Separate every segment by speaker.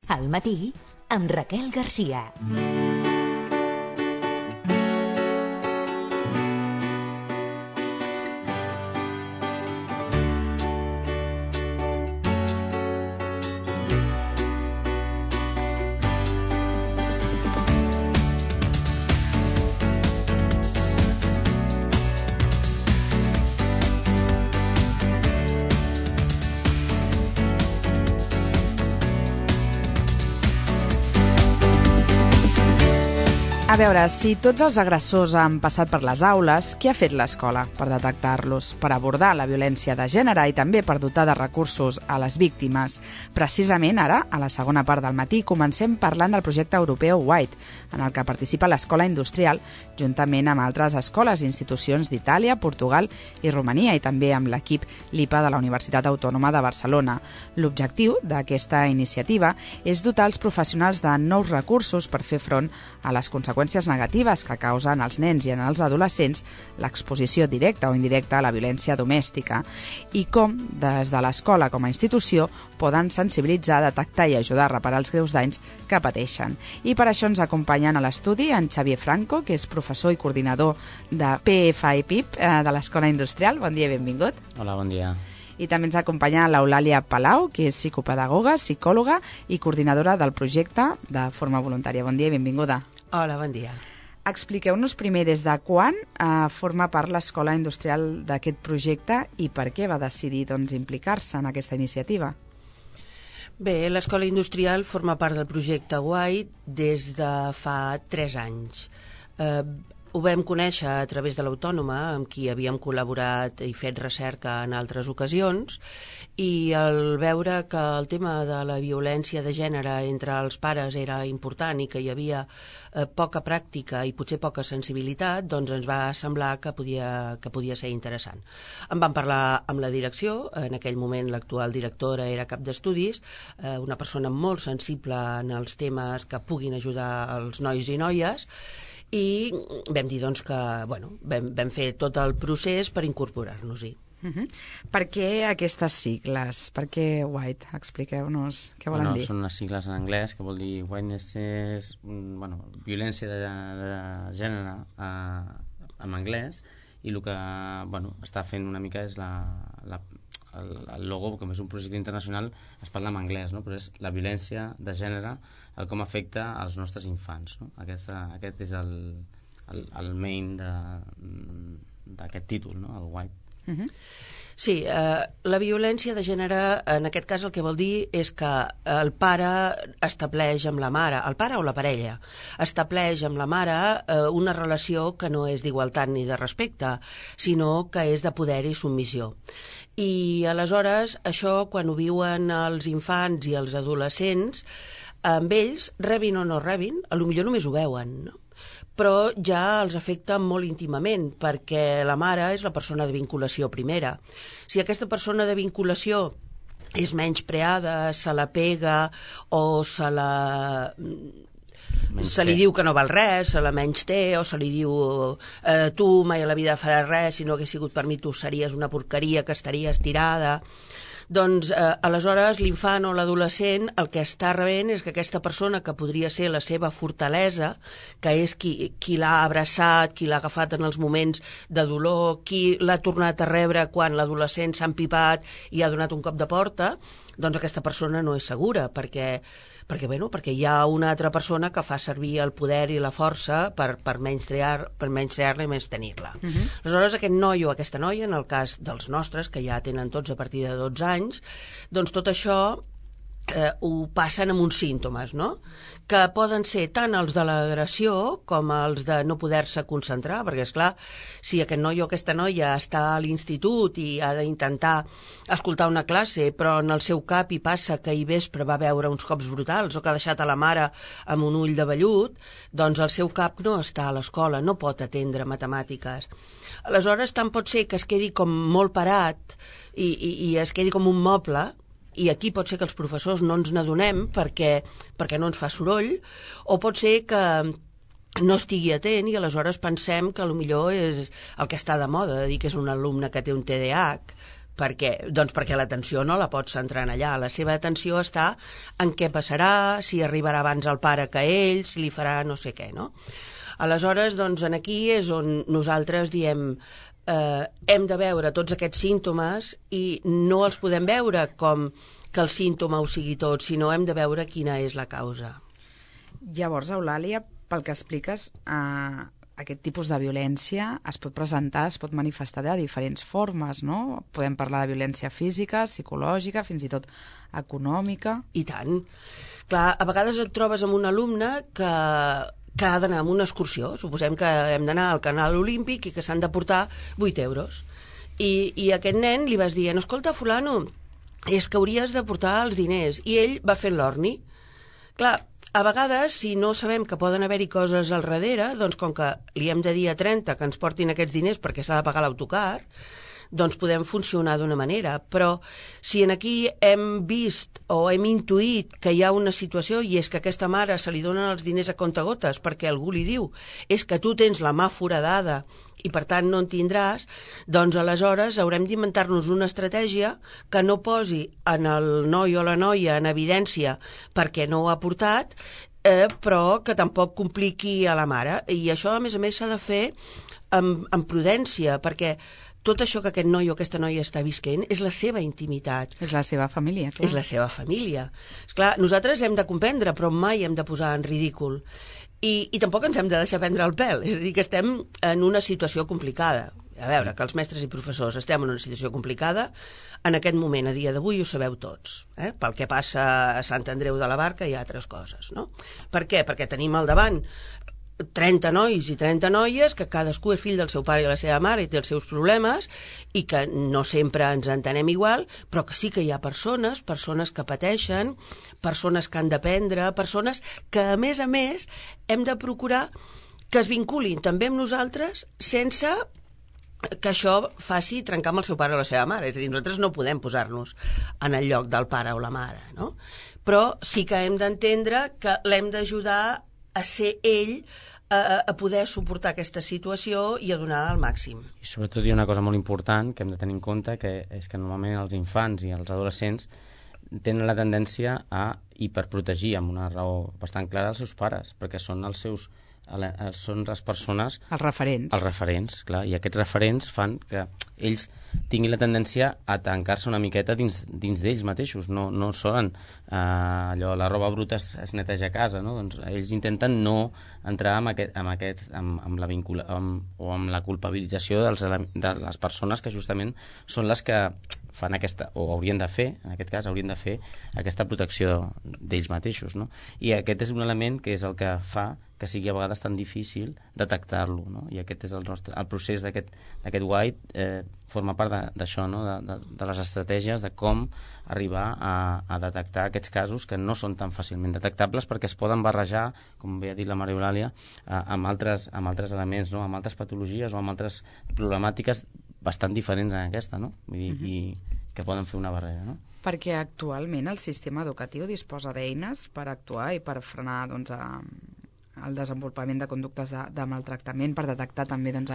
Speaker 1: Al matí, amb Raquel Garcia.
Speaker 2: A veure, si tots els agressors han passat per les aules, què ha fet l'escola per detectar-los, per abordar la violència de gènere i també per dotar de recursos a les víctimes? Precisament ara, a la segona part del matí, comencem parlant del projecte europeu White, en el que participa l'Escola Industrial, juntament amb altres escoles i institucions d'Itàlia, Portugal i Romania, i també amb l'equip LIPA de la Universitat Autònoma de Barcelona. L'objectiu d'aquesta iniciativa és dotar els professionals de nous recursos per fer front a les conseqüències negatives que causen als nens i als adolescents l'exposició directa o indirecta a la violència domèstica i com, des de l'escola com a institució, poden sensibilitzar, detectar i ajudar a reparar els greus danys que pateixen. I per això ens acompanyen a l'estudi en Xavier Franco, que és professor i coordinador de PFIPIP de l'Escola Industrial. Bon dia i benvingut.
Speaker 3: Hola, bon dia.
Speaker 2: I també ens acompanya l'Eulàlia Palau, que és psicopedagoga, psicòloga i coordinadora del projecte de forma voluntària. Bon dia i benvinguda.
Speaker 4: Hola, bon dia.
Speaker 2: Expliqueu-nos primer des de quan forma part l'Escola Industrial d'aquest projecte i per què va decidir implicar-se en aquesta iniciativa.
Speaker 4: Bé, l'Escola Industrial forma part del projecte White des de fa 3 anys. Ho vam conèixer a través de l'Autònoma, amb qui havíem col·laborat i fet recerca en altres ocasions, i al veure que el tema de la violència de gènere entre els pares era important i que hi havia poca pràctica i potser poca sensibilitat, doncs ens va semblar que podia ser interessant. En vam parlar amb la direcció, en aquell moment l'actual directora era cap d'estudis, una persona molt sensible en els temes que puguin ajudar els nois i noies, i vam dir que vam fer tot el procés per incorporar-nos-hi.
Speaker 2: Per què aquestes sigles? Per què White? Expliqueu-nos què volen dir.
Speaker 3: Són unes sigles en anglès que vol dir Whiteness és violència de gènere en anglès, i el que està fent una mica és el logo, com és un projecte internacional, es parla en anglès, no? Però és la violència de gènere, com afecta als nostres infants, no? Aquest és el main d'aquest títol, no? El White.
Speaker 4: Sí, la violència de gènere, en aquest cas el que vol dir és que el pare estableix amb la mare, el pare o la parella, estableix amb la mare una relació que no és d'igualtat ni de respecte, sinó que és de poder i submissió. I aleshores això, quan ho viuen els infants i els adolescents, amb ells, rebin o no rebin, potser només ho veuen, no? Però ja els afecta molt íntimament, perquè la mare és la persona de vinculació primera. Si aquesta persona de vinculació és menyspreada, se la pega o se li diu que no val res, se la menysté, o se li diu tu mai a la vida faràs res, si no hagués sigut per mi tu series una porqueria que estaries tirada. Doncs aleshores l'infant o l'adolescent el que està rebent és que aquesta persona que podria ser la seva fortalesa, que és qui l'ha abraçat, qui l'ha agafat en els moments de dolor, qui l'ha tornat a rebre quan l'adolescent s'ha empipat i ha donat un cop de porta, doncs aquesta persona no és segura, perquè hi ha una altra persona que fa servir el poder i la força per menysprear-la i menys-tenir-la. Aleshores, aquest noi o aquesta noia, en el cas dels nostres, que ja tenen tots a partir de 12 anys, doncs tot això ho passen amb uns símptomes, no? Que poden ser tant els de l'agressió com els de no poder-se concentrar, perquè, esclar, si aquest noi o aquesta noia està a l'institut i ha d'intentar escoltar una classe, però en el seu cap hi passa que ahir vespre va veure uns cops brutals o que ha deixat a la mare amb un ull de vellut, doncs el seu cap no està a l'escola, no pot atendre matemàtiques. Aleshores, tant pot ser que es quedi com molt parat i es quedi com un moble, i aquí pot ser que els professors no ens n'adonem perquè no ens fa soroll, o pot ser que no estigui atent i aleshores pensem que potser és el que està de moda, de dir que és un alumne que té un TDAH, Per què? Doncs perquè l'atenció no la pots centrar en allà. La seva atenció està en què passarà, si arribarà abans el pare que ell, si li farà no sé què, no? Aleshores, doncs, aquí és on nosaltres diem hem de veure tots aquests símptomes i no els podem veure com que el símptoma ho sigui tot, sinó hem de veure quina és la causa.
Speaker 2: Llavors, Eulàlia, pel que expliques, aquest tipus de violència es pot presentar, es pot manifestar de diferents formes, no? Podem parlar de violència física, psicològica, fins i tot econòmica.
Speaker 4: I tant. Clar, a vegades et trobes amb un alumne que ha d'anar a una excursió, suposem que hem d'anar al Canal Olímpic i que s'han de portar 8 euros. I a aquest nen li vas dir, escolta, fulano, és que hauries de portar els diners. I ell va fent l'orni. Clar, a vegades, si no sabem que poden haver-hi coses al darrere, doncs com que li hem de dir a 30 que ens portin aquests diners perquè s'ha de pagar l'autocar, doncs podem funcionar d'una manera. Però si en aquí hem vist o hem intuït que hi ha una situació i és que a aquesta mare se li donen els diners a comptagotes perquè algú li diu és que tu tens la mà foradada i per tant no en tindràs, doncs aleshores haurem d'inventar-nos una estratègia que no posi en el noi o la noia en evidència perquè no ho ha portat, però que tampoc compliqui a la mare. I això, a més, s'ha de fer amb prudència, perquè tot això que aquest noi o aquesta noia està visquent és la seva intimitat.
Speaker 2: És la seva família, clar.
Speaker 4: És la seva família. Esclar, nosaltres hem de comprendre, però mai hem de posar en ridícul. I tampoc ens hem de deixar prendre el pèl. És a dir, que estem en una situació complicada. A veure, que els mestres i professors estem en una situació complicada, en aquest moment, a dia d'avui, ho sabeu tots. Pel que passa a Sant Andreu de la Barca i altres coses, no? Per què? Perquè tenim al davant 30 nois i 30 noies, que cadascú és fill del seu pare i la seva mare i té els seus problemes, i que no sempre ens entenem igual, però que sí que hi ha persones que pateixen, persones que han d'aprendre, persones que, a més, hem de procurar que es vinculin també amb nosaltres sense que això faci trencar amb el seu pare o la seva mare. És a dir, nosaltres no podem posar-nos en el lloc del pare o la mare, no? Però sí que hem d'entendre que l'hem d'ajudar a ser ell, a poder suportar aquesta situació i a donar el màxim.
Speaker 3: I sobretot hi ha una cosa molt important que hem de tenir en compte, que és que normalment els infants i els adolescents tenen la tendència a hiperprotegir amb una raó bastant clara els seus pares, perquè són els seus són les persones...
Speaker 2: Els referents.
Speaker 3: Els referents, clar, i aquests referents fan que ells tinguin la tendència a tancar-se una miqueta dins d'ells mateixos, no solen allò, la roba bruta es neteja a casa, no? Doncs ells intenten no entrar amb la culpabilització de les persones que justament són les que fan aquesta, o haurien de fer, en aquest cas haurien de fer aquesta protecció d'ells mateixos, no? I aquest és un element que és el que fa que sigui a vegades tan difícil detectar-lo, no? I aquest és el procés d'aquest White, forma part d'això, no? De les estratègies de com arribar a detectar aquests casos que no són tan fàcilment detectables perquè es poden barrejar, com bé ha dit la Maria Eulàlia, amb altres elements, no? Amb altres patologies o amb altres problemàtiques bastant diferents en aquesta, no? Vull dir, i que poden fer una barrera, no?
Speaker 2: Perquè actualment el sistema educatiu disposa d'eines per actuar i per frenar, doncs, el desenvolupament de conductes de maltractament, per detectar també, doncs,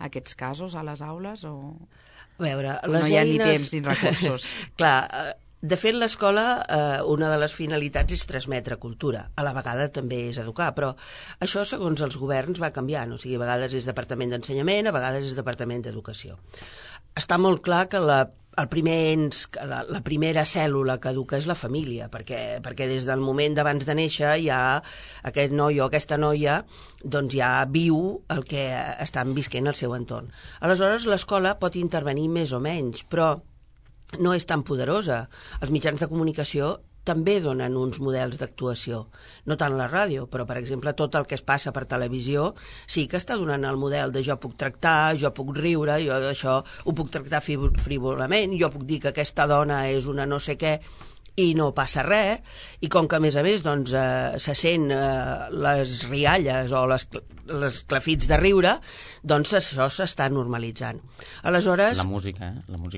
Speaker 2: aquests casos a les aules, o
Speaker 4: a veure,
Speaker 2: no hi ha ni temps ni recursos?
Speaker 4: Clar, de fet, l'escola, una de les finalitats és transmetre cultura. A la vegada també és educar, però això, segons els governs, va canviant. O sigui, a vegades és Departament d'Ensenyament, a vegades és Departament d'Educació. Està molt clar que la primera cèl·lula que educa és la família, perquè des del moment d'abans de néixer ja aquest noi o aquesta noia doncs ja viu el que estan visquent al seu entorn. Aleshores, l'escola pot intervenir més o menys, però no és tan poderosa. Els mitjans de comunicació també donen uns models d'actuació. No tant la ràdio, però, per exemple, tot el que es passa per televisió sí que està donant el model de jo puc tractar, jo puc riure, jo d'això ho puc tractar frívolament, jo puc dir que aquesta dona és una no sé què i no passa res, i com que, a més, doncs, se sent les rialles o les clafits de riure, doncs això s'està normalitzant. Aleshores...
Speaker 3: La música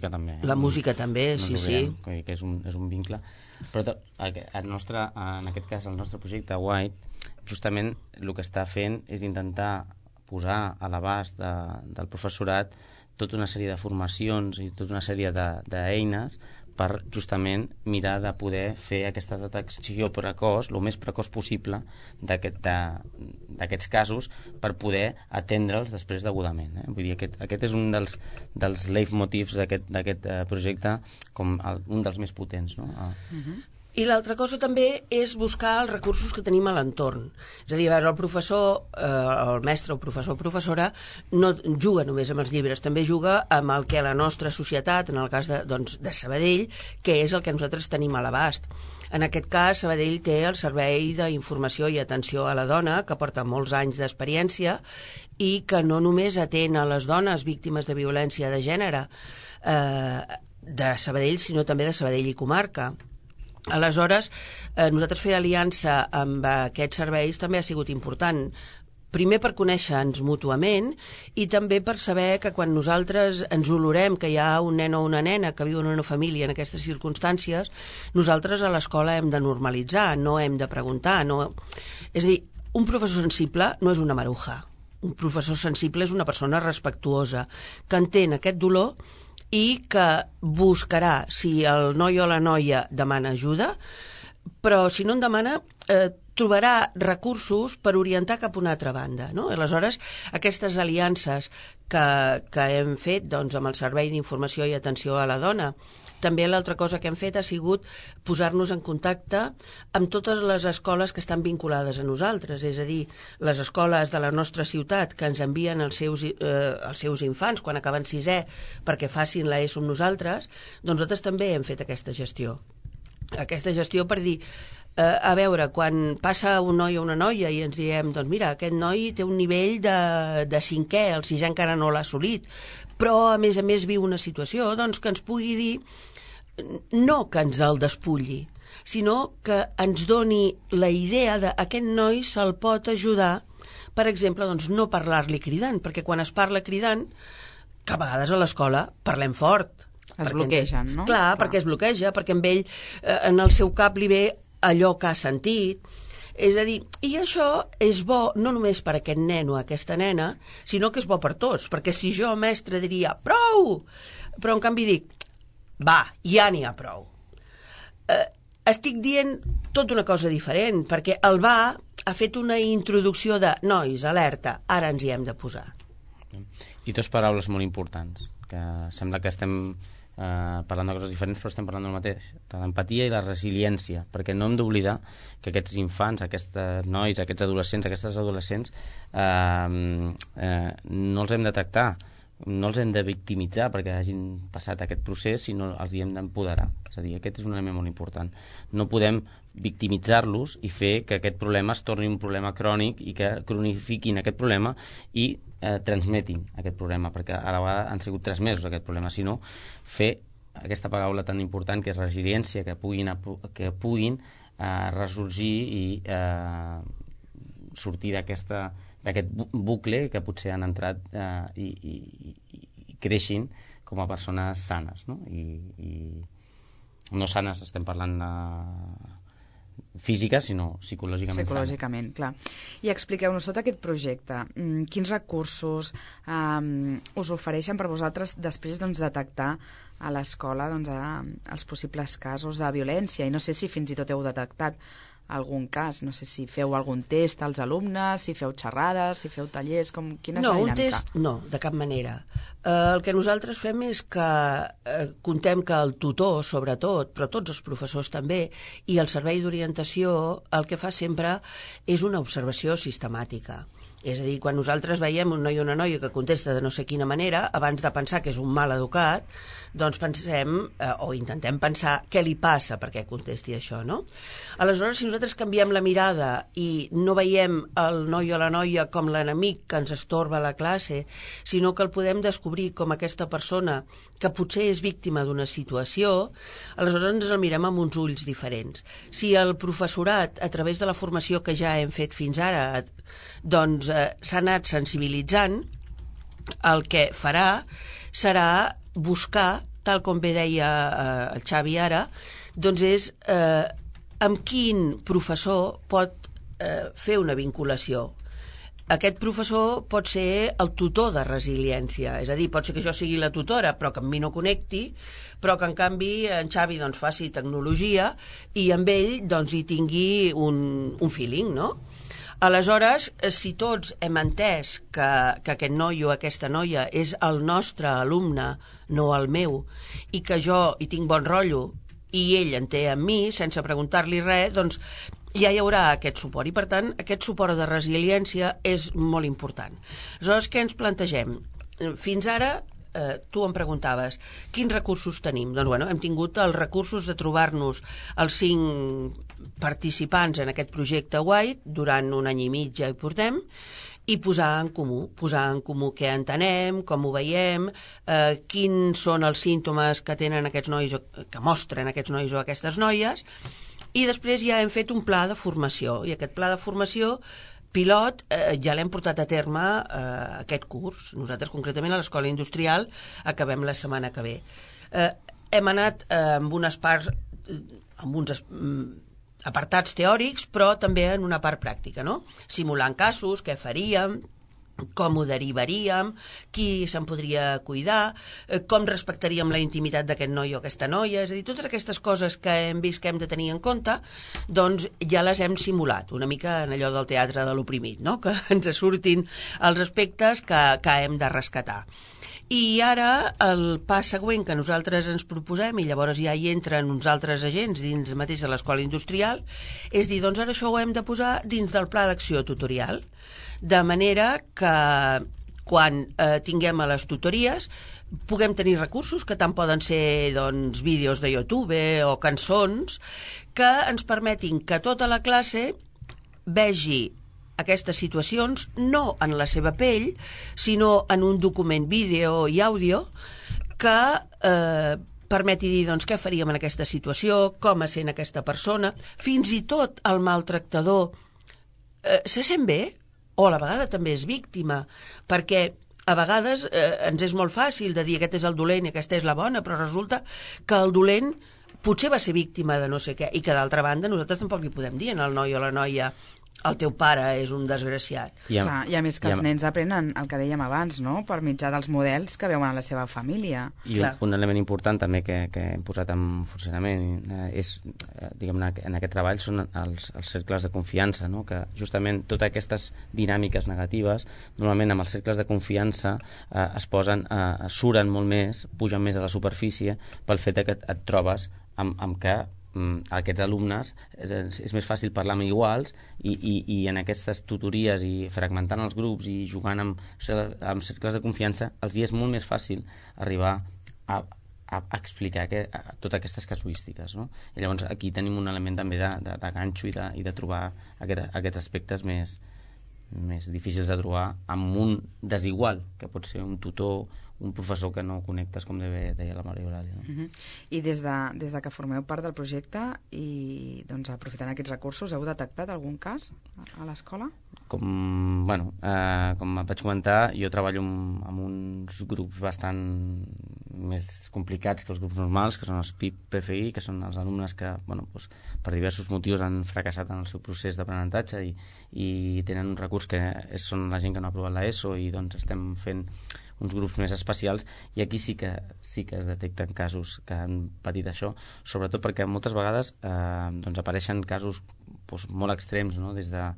Speaker 3: també.
Speaker 4: La música també, sí.
Speaker 3: Que és un vincle. Però en aquest cas, el nostre projecte White, justament el que està fent és intentar posar a l'abast del professorat tota una sèrie de formacions i tota una sèrie d'eines per justament mirar de poder fer aquesta detecció precoç, el més precoç possible d'aquests casos per poder atendre'ls després degudament. Vull dir, aquest és un dels leitmotivs d'aquest projecte, com un dels més potents, no?
Speaker 4: I l'altra cosa també és buscar els recursos que tenim a l'entorn. És a dir, el professor, el mestre o professor o professora no juga només amb els llibres, també juga amb el que la nostra societat, en el cas de Sabadell, que és el que nosaltres tenim a l'abast. En aquest cas, Sabadell té el Servei d'Informació i Atenció a la Dona, que porta molts anys d'experiència i que no només atén a les dones víctimes de violència de gènere de Sabadell, sinó també de Sabadell i comarca. Aleshores, nosaltres fer aliança amb aquests serveis també ha sigut important. Primer per conèixer-nos mútuament i també per saber que quan nosaltres ens olorem que hi ha un nen o una nena que viu en una família en aquestes circumstàncies, nosaltres a l'escola hem de normalitzar, no hem de preguntar. No... És a dir, un professor sensible no és una maruja. Un professor sensible és una persona respectuosa, que entén aquest dolor i que buscarà si el noi o la noia demana ajuda, però si no en demana trobarà recursos per orientar cap a una altra banda, no? Aleshores, aquestes aliances que hem fet doncs, amb el Servei d'Informació i Atenció a la Dona, també l'altra cosa que hem fet ha sigut posar-nos en contacte amb totes les escoles que estan vinculades a nosaltres, és a dir, les escoles de la nostra ciutat que ens envien els seus infants quan acaben sisè perquè facin l'ESO amb nosaltres, doncs nosaltres també hem fet aquesta gestió. Aquesta gestió per dir, a veure, quan passa un noi o una noia i ens diem, doncs mira, aquest noi té un nivell de cinquè, el sisè encara no l'ha assolit, però a més viu una situació doncs, que ens pugui dir no que ens el despulli, sinó que ens doni la idea d'aquest noi se'l pot ajudar, per exemple, doncs no parlar-li cridant, perquè quan es parla cridant, que a vegades a l'escola parlem fort.
Speaker 2: Es bloquegen, no?
Speaker 4: Clar, perquè es bloqueja, perquè amb ell en el seu cap li ve allò que ha sentit. És a dir, i això és bo no només per a aquest nen o aquesta nena, sinó que és bo per tots, perquè si jo, mestre, diria prou, però en canvi dic va, ja n'hi ha prou. Estic dient tota una cosa diferent, perquè el va ha fet una introducció de nois, alerta, ara ens hi hem de posar.
Speaker 3: I dues paraules molt importants, que sembla que estem parlant de coses diferents, però estem parlant del mateix, de l'empatia i la resiliència, perquè no hem d'oblidar que aquests infants, aquests nois, aquests adolescents, aquestes adolescents, no els hem de tractar, no els hem de victimitzar perquè hagin passat aquest procés, sinó els hi hem d'empoderar. És a dir, aquest és un element molt important. No podem victimitzar-los i fer que aquest problema es torni un problema crònic i que cronifiquin aquest problema i transmetin aquest problema, perquè a la vegada han sigut 3 mesos aquest problema, sinó fer aquesta paraula tan important que és resiliència, que puguin ressorgir i sortir d'aquest bucle que potser han entrat i creixin com a persones sanes, no? I no sanes estem parlant físiques, sinó psicològicament
Speaker 2: sanes. Clar. I expliqueu-nos tot aquest projecte. Quins recursos us ofereixen per vosaltres després detectar a l'escola els possibles casos de violència? I no sé si fins i tot heu detectat algun cas, no sé si feu algun test als alumnes, si feu xerrades, si feu tallers, quina és la dinàmica?
Speaker 4: Un test no, de cap manera. El que nosaltres fem és que contem que el tutor, sobretot, però tots els professors també, i el servei d'orientació, el que fa sempre és una observació sistemàtica. És a dir, quan nosaltres veiem un noi o una noia que contesta de no sé quina manera, abans de pensar que és un mal educat, doncs pensem, o intentem pensar què li passa perquè contesti això, no? Aleshores, si nosaltres canviem la mirada i no veiem el noi o la noia com l'enemic que ens estorba a la classe, sinó que el podem descobrir com aquesta persona que potser és víctima d'una situació, aleshores ens el mirem amb uns ulls diferents. Si el professorat, a través de la formació que ja hem fet fins ara, doncs s'ha anat sensibilitzant, el que farà serà buscar, tal com bé deia el Xavi ara, doncs és amb quin professor pot fer una vinculació. aquest professor pot ser el tutor de resiliència, és a dir, pot ser que jo sigui la tutora però que amb mi no connecti, però que en canvi en Xavi doncs, faci tecnologia i amb ell doncs, hi tingui un feeling, no? Aleshores, si tots hem entès que aquest noi o aquesta noia és el nostre alumne, no el meu, i que jo hi tinc bon rotllo i ell en té amb mi, sense preguntar-li res, doncs ja hi haurà aquest suport. I, per tant, aquest suport de resiliència és molt important. Aleshores, què ens plantegem? Fins ara, tu em preguntaves, quins recursos tenim? Doncs, bueno, hem tingut els recursos de trobar-nos els 5 participants en aquest projecte White, durant 1 any i mig ja hi portem, i posar en comú què entenem, com ho veiem, quins són els símptomes que tenen aquests nois, que mostren aquests nois o aquestes noies, i després ja hem fet un pla de formació, i aquest pla de formació pilot ja l'hem portat a terme aquest curs. Nosaltres, concretament, a l'Escola Industrial, acabem la setmana que ve. Hem anat amb unes parts, amb uns apartats teòrics, però també en una part pràctica, no? Simulant casos, què faríem, com ho derivaríem, qui se'n podria cuidar, com respectaríem la intimitat d'aquest noi o aquesta noia, és a dir, totes aquestes coses que hem vist que hem de tenir en compte, doncs ja les hem simulat, una mica en allò del teatre de l'oprimit, no? Que ens surtin els aspectes que hem de rescatar. I ara el pas següent que nosaltres ens proposem, i llavors ja hi entren uns altres agents dins mateix de l'Escola Industrial, és dir, doncs ara això ho hem de posar dins del pla d'acció tutorial, de manera que quan tinguem a les tutories puguem tenir recursos que tant poden ser doncs, vídeos de YouTube o cançons que ens permetin que tota la classe vegi aquestes situacions no en la seva pell, sinó en un document vídeo i àudio que permeti dir doncs, què faríem en aquesta situació, com es sent aquesta persona, fins i tot el maltractador se sent bé o a la vegada també és víctima, perquè a vegades ens és molt fàcil de dir aquest és el dolent i aquesta és la bona, però resulta que el dolent potser va ser víctima de no sé què, i que d'altra banda nosaltres tampoc li podem dir al noi o a la noia el teu pare és un desgraciat.
Speaker 2: I a més que els nens aprenen el que dèiem abans, no? Per mitjà dels models que veuen a la seva família.
Speaker 3: I un element important també que hem posat en funcionament és, diguem-ne, en aquest treball són els cercles de confiança, no? Que justament totes aquestes dinàmiques negatives, normalment amb els cercles de confiança suren molt més, pugen més a la superfície pel fet que et trobes amb que aquests alumnes és més fàcil parlar amb iguals i en aquestes tutories i fragmentant els grups i jugant amb cercles de confiança els és molt més fàcil arribar a explicar totes aquestes casuístiques, no? I llavors aquí tenim un element també de ganxo i de trobar aquests aspectes més difícils de trobar amb un desigual, que pot ser un tutor, un professor que no connectes, com deia la Maria Eulàlia. No?
Speaker 2: I des de que formeu part del projecte i doncs, aprofitant aquests recursos, heu detectat algun cas a l'escola?
Speaker 3: Com vaig comentar, jo treballo amb uns grups bastant més complicats que els grups normals, que són els PIP-PFI, que són els alumnes que per diversos motius han fracassat en el seu procés d'aprenentatge i tenen un recurs que són la gent que no ha aprovat l'ESO i doncs estem fent uns grups més especials, i aquí sí que es detecten casos que han patit això, sobretot perquè moltes vegades apareixen casos molt extrems, no? Des de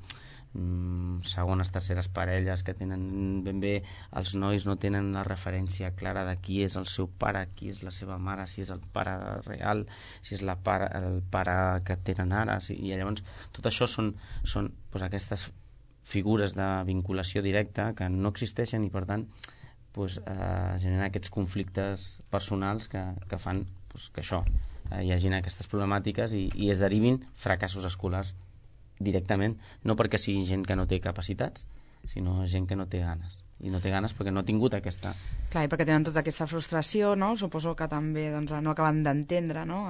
Speaker 3: segones, terceres parelles que tenen ben bé, els nois no tenen la referència clara de qui és el seu pare, qui és la seva mare, si és el pare real, si és el pare que tenen ara, i llavors tot això són aquestes figures de vinculació directa que no existeixen i per tant generar aquests conflictes personals que fan que això, hi hagin aquestes problemàtiques i es derivin fracassos escolars directament, no perquè sigui gent que no té capacitats, sinó gent que no té ganes. I no té ganes perquè no ha tingut aquesta...
Speaker 2: Clar, i perquè tenen tota aquesta frustració, no? Suposo que també no acaben d'entendre, no?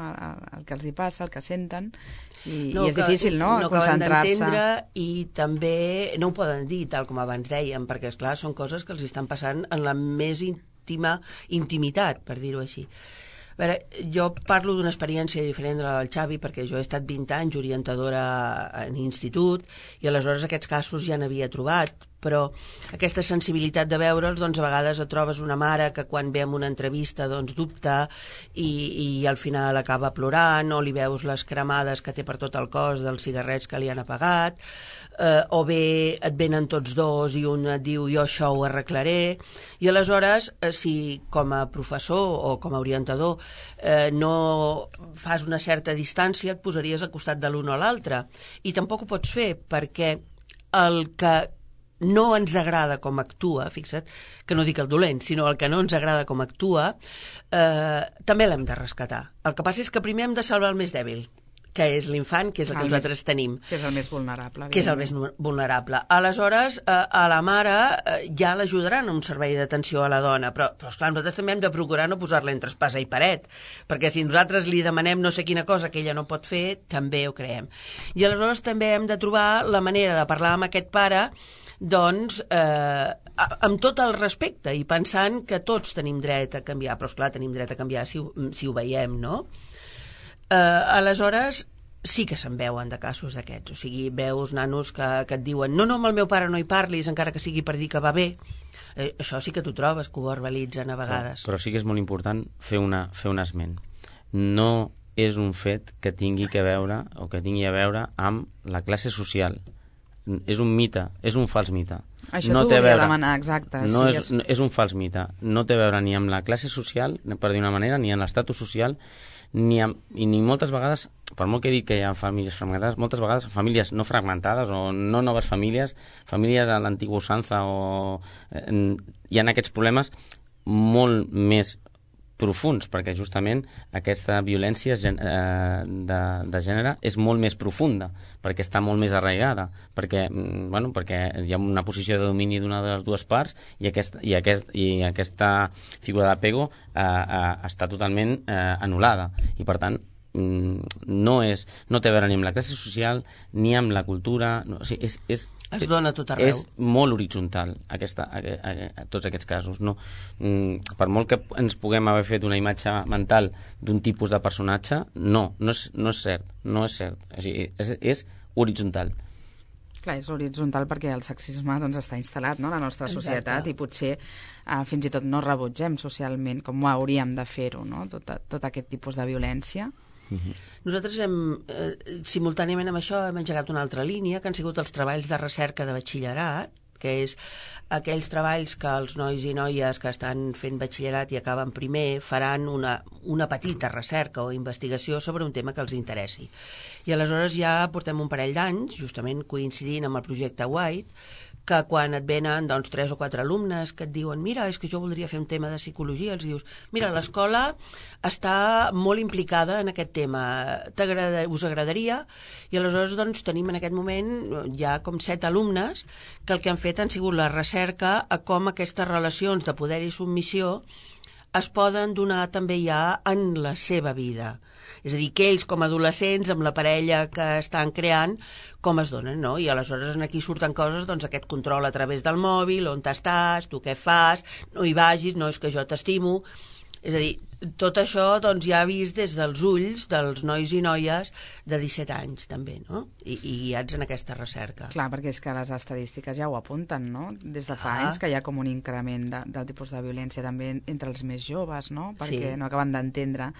Speaker 2: El que els hi passa, el que senten, i és difícil, no?
Speaker 4: No acaben d'entendre i també no ho poden dir, tal com abans dèiem, perquè, esclar, són coses que els estan passant en la més íntima intimitat, per dir-ho així. A veure, jo parlo d'una experiència diferent de la del Xavi perquè jo he estat 20 anys orientadora en institut i aleshores aquests casos ja n'havia trobat, però aquesta sensibilitat de veure'ls, doncs a vegades et trobes una mare que quan ve en una entrevista doncs dubta i al final acaba plorant, o li veus les cremades que té per tot el cos dels cigarrets que li han apagat, o bé et venen tots dos i un et diu jo això ho arreglaré, i aleshores si com a professor o com a orientador no fas una certa distància, et posaries al costat de l'un o l'altre, i tampoc ho pots fer perquè el que no ens agrada com actua, fixa't, que no dic el dolent, sinó el que no ens agrada com actua, també l'hem de rescatar. El que passa és que primer hem de salvar el més dèbil, que és l'infant, que és el que nosaltres tenim.
Speaker 2: Que és el més vulnerable.
Speaker 4: Que és el més vulnerable. Aleshores, a la mare ja l'ajudaran a un servei d'atenció a la dona, però esclar, nosaltres també hem de procurar no posar-la entre espasa i paret, perquè si nosaltres li demanem no sé quina cosa que ella no pot fer, també ho creem. I aleshores també hem de trobar la manera de parlar amb aquest pare doncs amb tot el respecte i pensant que tots tenim dret a canviar, però esclar, tenim dret a canviar si ho veiem, no? Aleshores sí que se'n veuen de casos d'aquests, o sigui, veus nanos que et diuen no, amb el meu pare no hi parlis, encara que sigui per dir que va bé. Això sí que t'ho trobes, que ho verbalitzen a vegades.
Speaker 3: Però sí que és molt important fer un esment. No és un fet que tingui a veure amb la classe social. És un mite, és un fals mite.
Speaker 2: Això t'ho volia demanar, exacte.
Speaker 3: És un fals mite. No té a veure ni amb la classe social, per dir una manera, ni amb l'estatus social, ni moltes vegades, per molt que he dit que hi ha famílies fragmentades, moltes vegades famílies no fragmentades o no noves famílies a l'antigua usança, o hi ha aquests problemes molt més profuns, perquè justament aquesta violència de gènere és molt més profunda, perquè està molt més arraigada, perquè hi ha una posició de domini d'una de les dues parts i aquesta figura d'apego està totalment anul·lada, i per tant no té a veure ni amb la classe social ni amb la cultura,
Speaker 4: es dona tot arreu.
Speaker 3: És molt horitzontal tots aquests casos, no? Per molt que ens puguem haver fet una imatge mental d'un tipus de personatge, no és cert, és horitzontal.
Speaker 2: Clar, és horitzontal perquè el sexisme doncs, està instal·lat, no?, a la nostra societat. Exacte. I potser fins i tot no rebutgem socialment com hauríem de fer-ho, no?, tot aquest tipus de violència.
Speaker 4: Nosaltres simultàniament amb això hem engegat una altra línia, que han sigut els treballs de recerca de batxillerat, que és aquells treballs que els nois i noies que estan fent batxillerat i acaben primer faran una petita recerca o investigació sobre un tema que els interessi. I aleshores ja portem un parell d'anys, justament coincidint amb el projecte White, que quan et venen 3 o 4 alumnes que et diuen mira, és que jo voldria fer un tema de psicologia, els dius, mira, l'escola està molt implicada en aquest tema, us agradaria? I aleshores doncs, tenim en aquest moment ja com 7 alumnes que el que han fet han sigut la recerca a com aquestes relacions de poder i submissió es poden donar també ja en la seva vida. És a dir, que ells com a adolescents, amb la parella que estan creant, com es donen, no? I aleshores aquí surten coses, doncs aquest control a través del mòbil, on t'estàs, tu què fas, no hi vagis, no és que jo t'estimo. És a dir, tot això doncs, ja vist des dels ulls dels nois i noies de 17 anys també, no? I guiats en aquesta recerca.
Speaker 2: Clar, perquè és que les estadístiques ja ho apunten, no? Des de fa anys que hi ha com un increment del tipus de violència també entre els més joves, no? Perquè no acaben d'entendre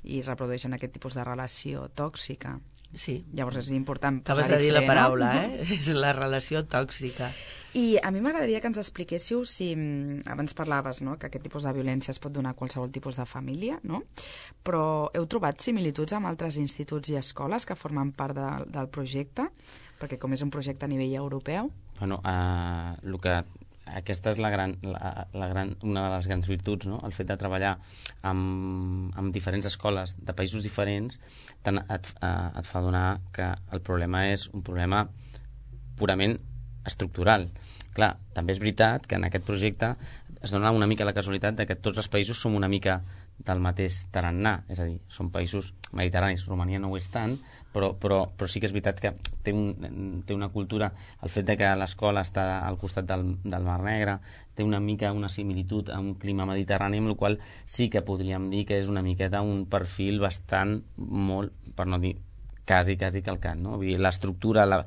Speaker 2: i reprodueixen aquest tipus de relació tòxica.
Speaker 4: Sí.
Speaker 2: Llavors és important
Speaker 4: posar-hi fre. Acabes de dir la paraula, És la relació tòxica.
Speaker 2: I a mi m'agradaria que ens expliquéssiu si, abans parlaves, no?, que aquest tipus de violència es pot donar a qualsevol tipus de família, no? Però heu trobat similituds amb altres instituts i escoles que formen part del projecte? Perquè com és un projecte a nivell europeu...
Speaker 3: Bueno, aquesta és una de les grans virtuts, no? El fet de treballar amb diferents escoles de països diferents et fa adonar que el problema és un problema purament estructural. Clar, també és veritat que en aquest projecte es dona una mica la casualitat de que tots els països som una mica del mateix tarannà, és a dir, són països mediterranis. Romania no ho és tant, però sí que és veritat que té una cultura, el fet de que l'escola està al costat del Mar Negre, té una mica una similitud a un clima mediterrani, amb el qual sí que podríem dir que és una miqueta un perfil bastant molt, per no dir quasi calcant, no? Vull dir, l'estructura, la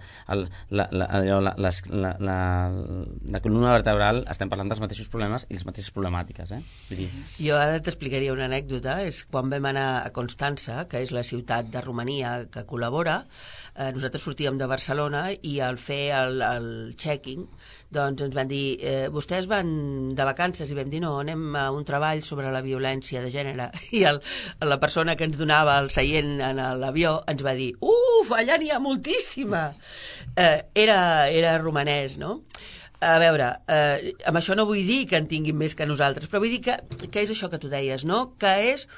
Speaker 3: columna vertebral, estem parlant dels mateixos problemes i les mateixes problemàtiques, Vull dir...
Speaker 4: Jo ara t'explicaria una anècdota. És quan vam anar a Constança, que és la ciutat de Romania que col·labora, nosaltres sortíem de Barcelona i al fer el checking doncs ens van dir, vostès van de vacances? I vam dir, no, anem a un treball sobre la violència de gènere. I la persona que ens donava el seient en l'avió ens va dir, allà n'hi ha moltíssima. Era romanès, no? A veure, amb això no vull dir que en tinguin més que nosaltres, però vull dir que és això que tu deies, no? Que és,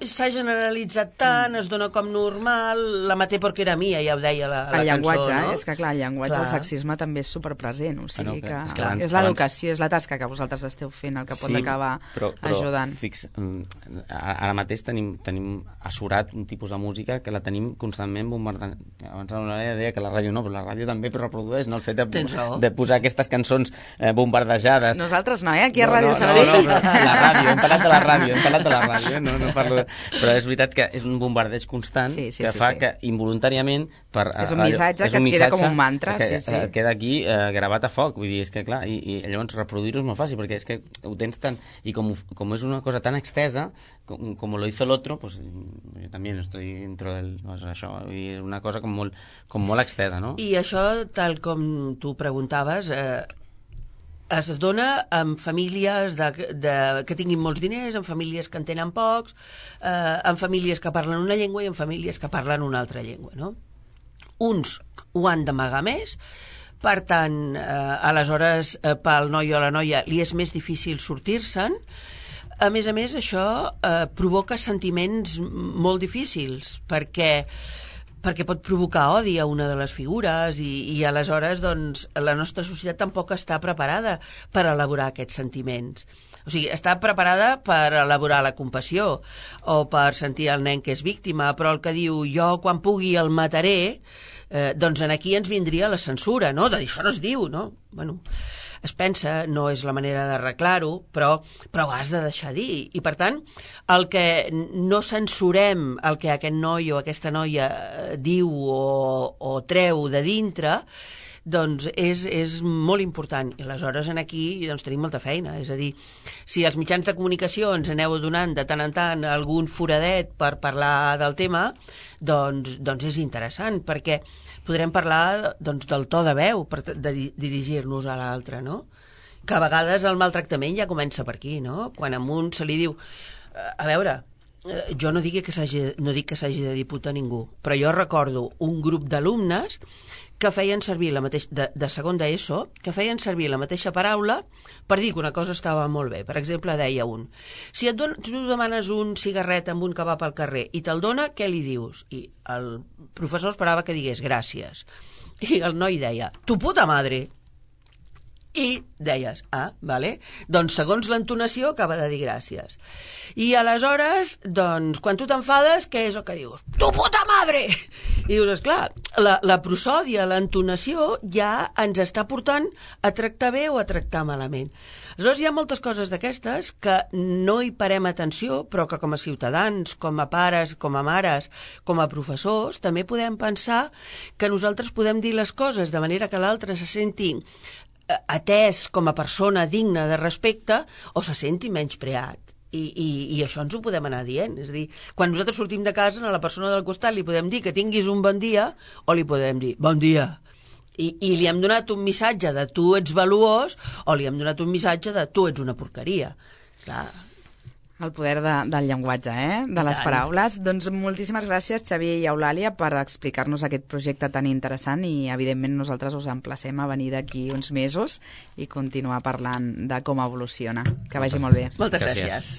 Speaker 4: s'ha generalitzat tant, es dona com normal, la maté porque era mia, ja ho deia la cançó,
Speaker 2: llenguatge,
Speaker 4: no?
Speaker 2: És que clar, el llenguatge, el sexisme també és superpresent, o sigui que
Speaker 3: abans,
Speaker 2: és l'educació, és la tasca que vosaltres esteu fent el que pot acabar ajudant.
Speaker 3: Ara mateix tenim assurat un tipus de música que la tenim constantment bombardant. Abans l'Eulàlia deia que la ràdio no, però la ràdio també reprodueix, no? El fet de posar aquestes cançons bombardejades.
Speaker 2: Nosaltres no, aquí a Ràdio Sabadell.
Speaker 3: No, la ràdio, hem parlat de la ràdio, no parlo... Però és veritat que és un bombardeig constant que fa que involuntàriament...
Speaker 2: És un missatge que et queda com un mantra.
Speaker 3: Queda aquí gravat a foc, vull dir, és que clar, i llavors reproduir-ho és molt fàcil, perquè és que ho tens tant... I com és una cosa tan extesa, com lo hizo el otro, pues yo también estoy dentro del... Això, és una cosa com molt extesa, no?
Speaker 4: I això, tal com tu preguntaves, es dona en famílies que tinguin molts diners, en famílies que en tenen pocs, en famílies que parlen una llengua i en famílies que parlen una altra llengua, no? Uns ho han d'amagar més, per tant, aleshores, pel noi o la noia li és més difícil sortir-se'n. A més, això provoca sentiments molt difícils, perquè pot provocar odi a una de les figures i aleshores doncs, la nostra societat tampoc està preparada per elaborar aquests sentiments. O sigui, està preparada per elaborar la compassió o per sentir el nen que és víctima, però el que diu jo quan pugui el mataré, doncs aquí ens vindria la censura, no? De dir, això no es diu, no? Bueno, es pensa, no és la manera d'arreglar-ho, però ho has de deixar dir. I, per tant, el que no censurem el que aquest noi o aquesta noia diu o treu de dintre, doncs és molt important. I aleshores aquí doncs, tenim molta feina. És a dir, si els mitjans de comunicació ens aneu donant de tant en tant algun foradet per parlar del tema, doncs és interessant, perquè podrem parlar doncs, del to de veu per dirigir-nos a l'altre, no? Que a vegades el maltractament ja comença per aquí, no? Quan a un se li diu... A veure, jo no dic que s'hagi de dir puta a ningú, però jo recordo un grup d'alumnes que feien servir de segon d'ESO, que feien servir la mateixa paraula per dir que una cosa estava molt bé. Per exemple, deia un, si tu demanes un cigarret amb un kebab al carrer i te'l dona, què li dius? I el professor esperava que digués gràcies. I el noi deia, tu puta madre. I deies, vale, doncs segons l'entonació acaba de dir gràcies. I aleshores, doncs, quan tu t'enfades, què és el que dius? Tu puta madre! I dius, esclar, la prosòdia, l'entonació ja ens està portant a tractar bé o a tractar malament. Aleshores hi ha moltes coses d'aquestes que no hi parem atenció, però que com a ciutadans, com a pares, com a mares, com a professors, també podem pensar que nosaltres podem dir les coses de manera que l'altre se senti atès com a persona digna de respecte o se senti menyspreat. I això ens ho podem anar dient. És a dir, quan nosaltres sortim de casa, a la persona del costat li podem dir que tinguis un bon dia o li podem dir bon dia. I li hem donat un missatge de tu ets valuós o li hem donat un missatge de tu ets una porqueria. Clar.
Speaker 2: El poder del llenguatge, de les paraules. Doncs moltíssimes gràcies, Xavier i Eulàlia, per explicar-nos aquest projecte tan interessant i, evidentment, nosaltres us emplacem a venir d'aquí uns mesos i continuar parlant de com evoluciona. Que vagi molt bé.
Speaker 4: Moltes gràcies.